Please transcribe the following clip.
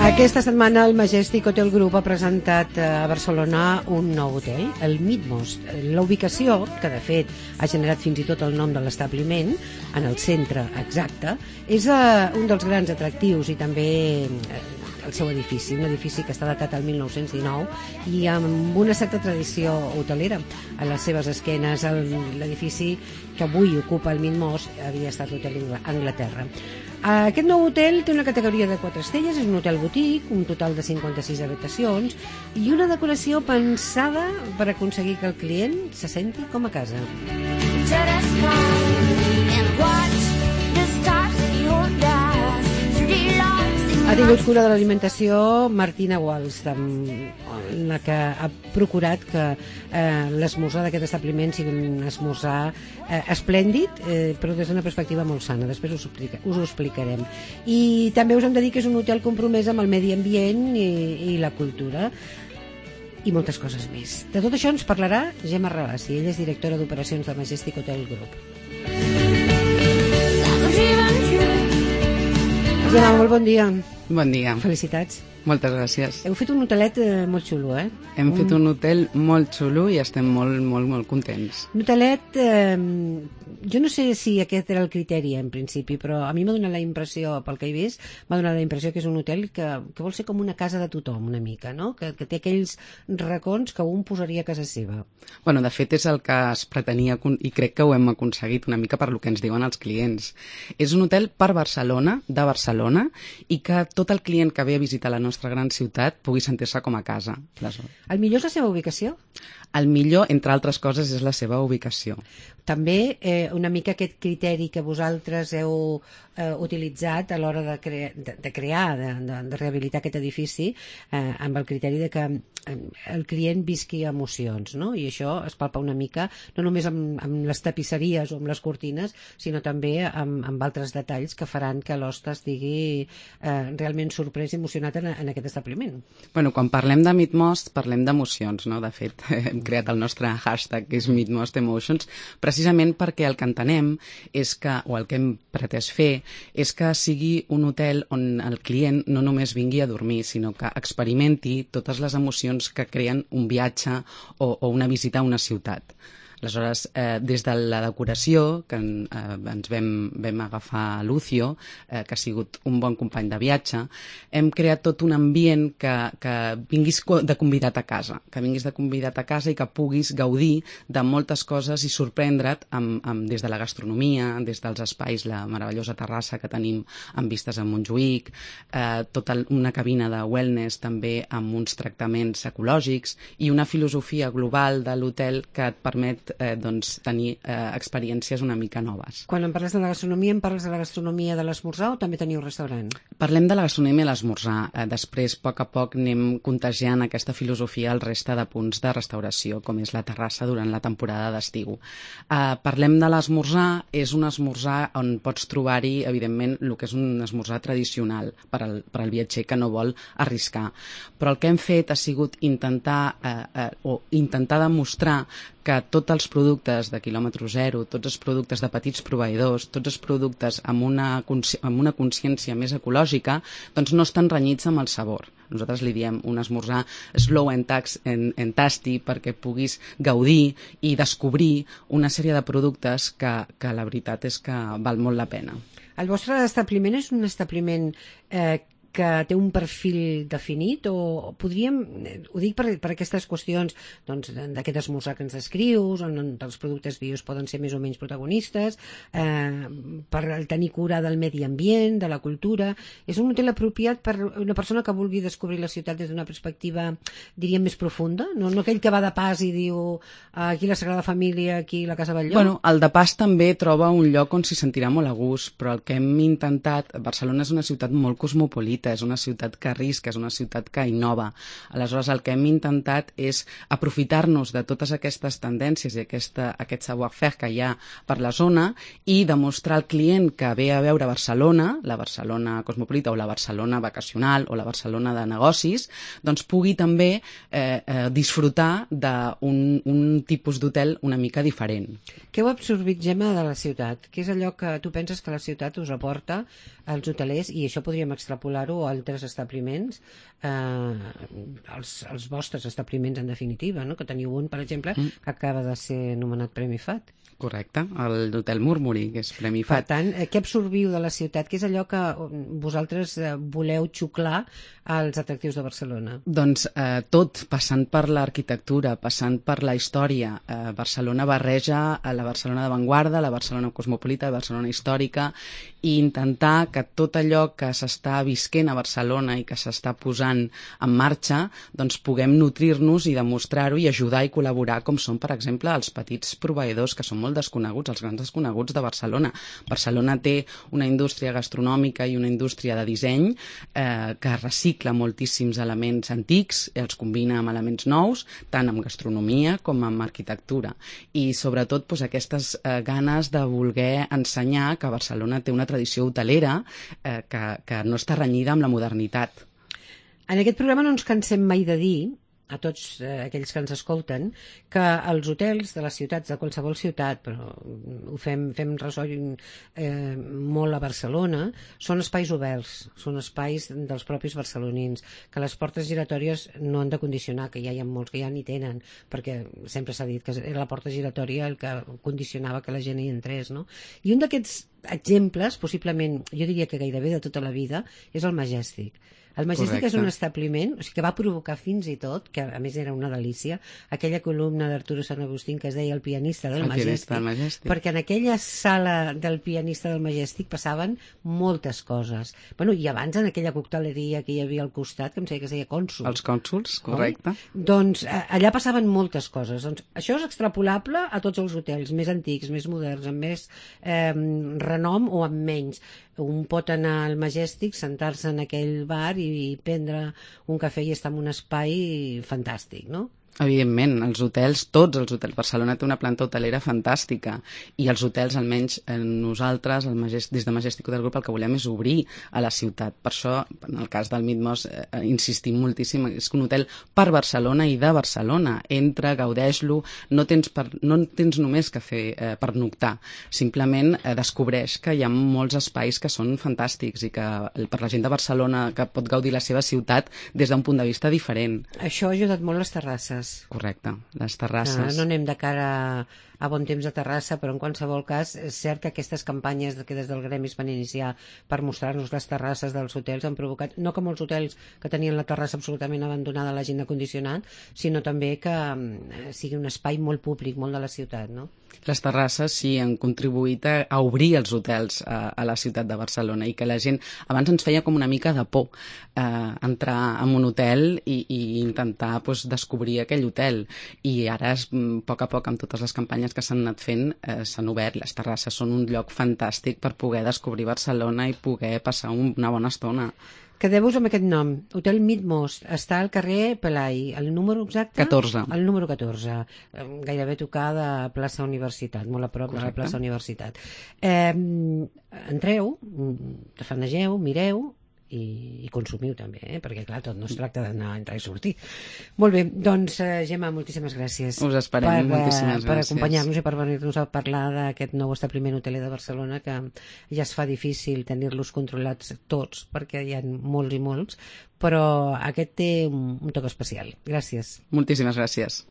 Aquesta setmana el Majestic Hotel Group ha presentat a Barcelona un nou hotel, el Midmost. La ubicació, que de fet ha generat fins i tot el nom de l'establiment, en el centre exacte, és un dels grans atractius i també el seu edifici, un edifici que està datat al 1919 i amb una certa tradició hotelera. A les seves esquenes, l'edifici que avui ocupa el Midmost havia estat l'Hotel Anglaterra. Aquest nou hotel té una categoria de 4 estrelles, és un hotel boutique, un total de 56 habitacions i una decoració pensada per aconseguir que el client se senti com a casa. Ha tingut cura de l'alimentació Martina Wallstam, la que ha procurat que l'esmorzar d'aquest establiment sigui un esmorzar esplèndid, però des d'una perspectiva molt sana. Després us ho explicarem. I també us hem de dir que és un hotel compromès amb el medi ambient i la cultura i moltes coses més. De tot això ens parlarà Gemma Rabassi. Ella és directora d'operacions de Majestic Hotel Group. Gemma, molt bon dia. Bon dia. Felicitats. Moltes gràcies. Heu fet un hotelet molt xulo, eh? Hem fet un hotel molt xulo i estem molt contents. Un hotelet, jo no sé si aquest era el criteri en principi, però a mi m'ha donat la impressió, pel que he vist, m'ha donat la impressió que és un hotel que vol ser com una casa de tothom, una mica, no? Que té aquells racons que un posaria a casa seva. Bueno, de fet és el que es pretenia i crec que ho hem aconseguit una mica per lo que ens diuen els clients. És un hotel per Barcelona, de Barcelona, i que tot el client que ve a visitar la nostra gran ciutat pugui sentir-se com a casa. El millor és la seva ubicació? El millor, entre altres coses, és la seva ubicació. També una mica aquest criteri que vosaltres heu utilitzat a l'hora de crear, de rehabilitar aquest edifici, amb el criteri de que el client visqui emocions, no? I això es palpa una mica, no només amb les tapisseries o amb les cortines, sinó també amb altres detalls que faran que l'hoste estigui realment sorprès i emocionat en aquest establiment. Bueno, quan parlem de Midmost, parlem d'emocions, no? De fet, hem creat el nostre hashtag, que és Midmost Emotions, precisament perquè el que entenem és que, o el que hem pretès fer, és que sigui un hotel on el client no només vingui a dormir, sinó que experimenti totes les emocions que creen un viatge o una visita a una ciutat. Aleshores, des de la decoració, que ens vam agafar Lucio, que ha sigut un bon company de viatge, hem creat tot un ambient que vinguis de convidat a casa, i que puguis gaudir de moltes coses i sorprendre't des de la gastronomia, des dels espais, la meravellosa terrassa que tenim amb vistes a Montjuïc, tota una cabina de wellness també amb uns tractaments ecològics i una filosofia global de l'hotel que et permet tenir experiències una mica noves. Quan em parles de la gastronomia, em parles de la gastronomia de l'esmorzar o també teniu restaurant? Parlem de la gastronomia de l'esmorzar. Després, a poc a poc, anem contagiant aquesta filosofia al resta de punts de restauració, com és la terrassa durant la temporada d'estiu. Parlem de l'esmorzar, és un esmorzar on pots trobar-hi, evidentment, el que és un esmorzar tradicional per al viatger que no vol arriscar. Però el que hem fet ha sigut intentar demostrar que tots els productes de quilòmetre zero, tots els productes de petits proveïdors, tots els productes amb una consciència més ecològica, doncs no estan renyits amb el sabor. Nosaltres li diem un esmorzar slow and tasty perquè puguis gaudir i descobrir una sèrie de productes que la veritat és que val molt la pena. El vostre establiment és un establiment que té un perfil definit o podríem, ho dic per aquestes qüestions d'aquest esmorzar que ens descrius, on els productes bios poden ser més o menys protagonistes, per tenir cura del medi ambient, de la cultura. És un hotel apropiat per una persona que vulgui descobrir la ciutat des d'una perspectiva, diríem, més profunda, no aquell que va de pas i diu aquí la Sagrada Família, aquí la Casa Batlló. Bueno, el de pas també troba un lloc on s'hi sentirà molt a gust, però el que hem intentat, Barcelona és una ciutat molt cosmopolita, és una ciutat que arrisca, és una ciutat que innova. Aleshores, el que hem intentat és aprofitar-nos de totes aquestes tendències i aquest savoir-faire que hi ha per la zona i demostrar al client que ve a veure Barcelona, la Barcelona cosmopolita o la Barcelona vacacional o la Barcelona de negocis, doncs pugui també disfrutar d'un tipus d'hotel una mica diferent. Què heu absorbit, Gemma, de la ciutat? Què és allò que tu penses que la ciutat us aporta als hotelers, i això podríem extrapolar extrapolar-ho a altres establiments, els vostres establiments en definitiva, no? Que teniu un, per exemple, que acaba de ser nomenat Premi FAT. Correcte, l'Hotel Murmuri, que és Premi Per FAT. tant, què absorbiu de la ciutat? Què és allò que vosaltres voleu xuclar als atractius de Barcelona? Doncs tot, passant per l'arquitectura, passant per la història. Barcelona barreja la Barcelona d'avantguarda, la Barcelona cosmopolita, la Barcelona històrica, i intentar que tot allò que s'està visquent a Barcelona i que s'està posant en marxa, doncs puguem nutrir-nos i demostrar-ho i ajudar i col·laborar, com són, per exemple, els petits proveïdors, que són molt desconeguts, els grans desconeguts de Barcelona. Barcelona té una indústria gastronòmica i una indústria de disseny que recicla moltíssims elements antics, els combina amb elements nous, tant amb gastronomia com amb arquitectura. I sobretot doncs, aquestes ganes de voler ensenyar que Barcelona té una tradició hotelera que no està renyida amb la modernitat. En aquest programa no ens cansem mai de dir a tots aquells que ens escolten, que els hotels de les ciutats, de qualsevol ciutat, però ho fem ressò molt a Barcelona, són espais oberts, són espais dels propis barcelonins, que les portes giratòries no han de condicionar, que ja hi ha molts que ja n'hi tenen, perquè sempre s'ha dit que era la porta giratòria el que condicionava que la gent hi entrés, no? I un d'aquests exemples, possiblement, jo diria que gairebé de tota la vida, és el Majestic. El Majestic és un establiment, o sigui, que va provocar fins i tot, que a més era una delícia, aquella columna d'Arturo Sant Agustín que es deia El pianista del Majestic, perquè en aquella sala del pianista del Majestic passaven moltes coses. Bueno, i abans en aquella cocteleria que hi havia al costat, que em sembla que es deia Cònsul. Els Cònsuls, correcte. Doncs allà passaven moltes coses. Doncs això és extrapolable a tots els hotels, més antics, més moderns, amb més renom o amb menys. Un pot anar al Majestic, sentar-se en aquell bar i prendre un cafè i estar en un espai fantàstic, no? Evidentment, els hotels, tots els hotels. Barcelona té una planta hotelera fantàstica i els hotels, almenys nosaltres, des de Majestic Hotel Group, el que volem és obrir a la ciutat. Per això, en el cas del Midmos, insistim moltíssim, és un hotel per Barcelona i de Barcelona. Entra, gaudeix-lo, no tens només que fer pernoctar. Simplement descobreix que hi ha molts espais que són fantàstics i que per la gent de Barcelona que pot gaudir la seva ciutat des d'un punt de vista diferent. Això ha ajudat molt les terrasses. Correcte, les terrasses. No anem de cara a bon temps de Terrassa, però en qualsevol cas és cert que aquestes campanyes que des del gremi es van iniciar per mostrar-nos les terrasses dels hotels han provocat, no que molts hotels que tenien la terrassa absolutament abandonada l'hagin acondicionat, sinó també que sigui un espai molt públic, molt de la ciutat, no? Les terrasses sí han contribuït a obrir els hotels a la ciutat de Barcelona i que la gent abans ens feia com una mica de por entrar en un hotel i intentar descobrir aquell hotel, i ara a poc a poc amb totes les campanyes que s'han anat fent s'han obert. Les terrasses són un lloc fantàstic per poder descobrir Barcelona i poder passar una bona estona. Quedeu-vos amb aquest nom, Hotel Midmos, està al carrer Pelai, el número exacte? 14. El número 14, gairebé tocar de plaça Universitat, molt a prop de la plaça Universitat. Entreu, tafanegeu, mireu i consumiu també, perquè clar, tot no es tracta d'anar, entrar i sortir. Molt bé, doncs Gemma, moltíssimes gràcies. Us esperem, moltíssimes gràcies. Per acompanyar-nos i per venir-nos a parlar d'aquest nou establiment hoteler de Barcelona, que ja es fa difícil tenir-los controlats tots, perquè hi ha molts i molts, però aquest té un toc especial. Gràcies. Moltíssimes gràcies.